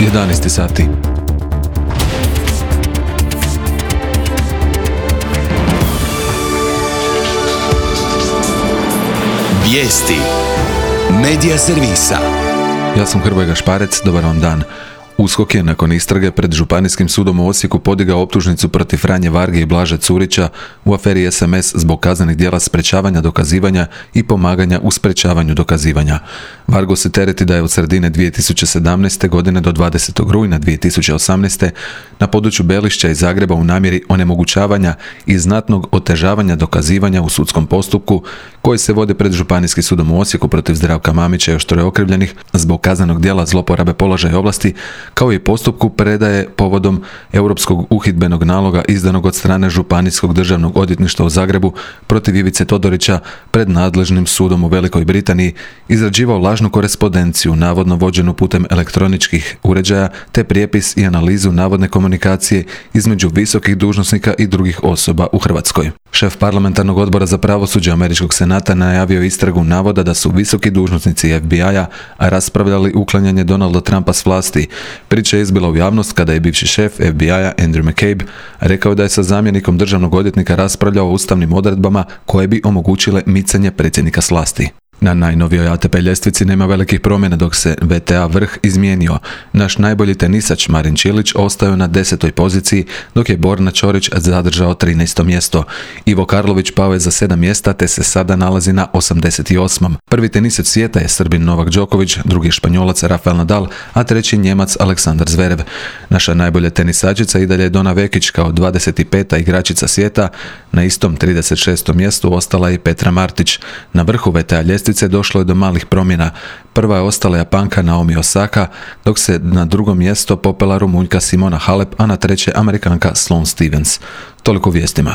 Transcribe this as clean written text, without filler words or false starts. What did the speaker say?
11 sati. Vijesti Medija servisa. Ja sam Hrvoje Gašparec, dobar vam dan. USKOK je nakon istrage pred Županijskim sudom u Osijeku podigao optužnicu protiv Franje Varge i Blaže Curića u aferi SMS zbog kaznenih djela sprečavanja dokazivanja i pomaganja u sprečavanju dokazivanja. Vargo se tereti da je od sredine 2017. godine do 20. rujna 2018. na području Belišća i Zagreba u namjeri onemogućavanja i znatnog otežavanja dokazivanja u sudskom postupku koji se vodi pred Županijskim sudom u Osijeku protiv Zdravka Mamića i još troje okrivljenih zbog kaznenog djela zloporabe položaja i ovlasti, kao i postupku predaje povodom Europskog uhidbenog naloga izdanog od strane Županijskog državnog odvjetništva u Zagrebu protiv Ivice Todorića pred nadležnim sudom u Velikoj Britaniji, izrađivao lažnu korespondenciju navodno vođenu putem elektroničkih uređaja te prijepis i analizu navodne komunikacije između visokih dužnosnika i drugih osoba u Hrvatskoj. Šef parlamentarnog odbora za pravosuđe Američkog senata najavio istragu navoda da su visoki dužnosnici FBI-a raspravljali uklanjanje Donalda Trumpa s vlasti. Priča je izbila u javnost kada je bivši šef FBI-a Andrew McCabe rekao da je sa zamjenikom državnog odvjetnika raspravljao o ustavnim odredbama koje bi omogućile micanje predsjednika s vlasti. Na najnovijoj ATP ljestvici nema velikih promjena dok se WTA vrh izmijenio. Naš najbolji tenisač Marin Čilić ostao na 10. poziciji dok je Borna Ćorić zadržao 13. mjesto. Ivo Karlović pao je za 7 mjesta te se sada nalazi na 88. Prvi tenisac svijeta je Srbin Novak Đoković, drugi Španjolac Rafael Nadal, a treći Njemac Aleksandar Zverev. Naša najbolja tenisačica i dalje je Dona Vekić kao 25. igračica svijeta. Na istom 36. mjestu ostala je Petra Martić. Na vrhu WTA ljestvice došlo je do malih promjena. Prva je ostala Japanka Naomi Osaka, dok se na drugo mjesto popela Rumunjka Simona Halep, a na treće Amerikanka Sloane Stephens. Toliko vijestima.